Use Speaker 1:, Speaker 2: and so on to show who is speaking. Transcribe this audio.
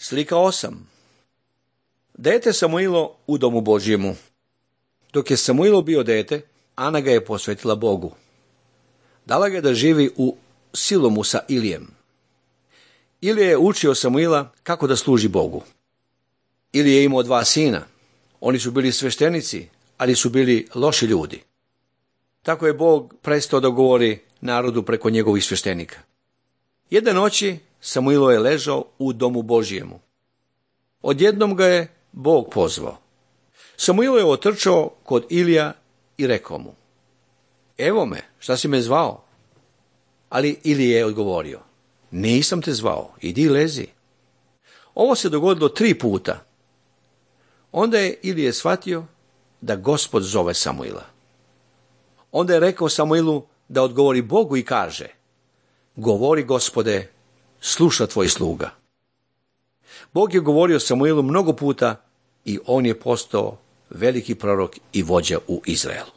Speaker 1: Slika 8. Dete Samuilo u domu Božjemu. Dok je Samuilo bio dete, Ana ga je posvetila Bogu. Dala ga da živi u Silomu sa Ilijem. Ilija je učio Samuila kako da služi Bogu. Ilija je imao 2 sina. Oni su bili sveštenici, ali su bili loši ljudi. Tako je Bog prestao da govori narodu preko njegovih sveštenika. Jedne noći Samuilo je ležao u domu Božjemu. Odjednom ga je Bog pozvao. Samuilo je otrčao kod Ilija i rekao mu: Evo me, šta si me zvao? Ali Ilija je odgovorio: Nisam te zvao, idi lezi. Ovo se dogodilo 3 puta. Onda je Ilija shvatio da Gospod zove Samuila. Onda je rekao Samuilu da odgovori Bogu i kaže: Govori, Gospode, sluša tvoj sluga. Bog je govorio Samuilu mnogo puta i on je postao veliki prorok i vođa u Izraelu.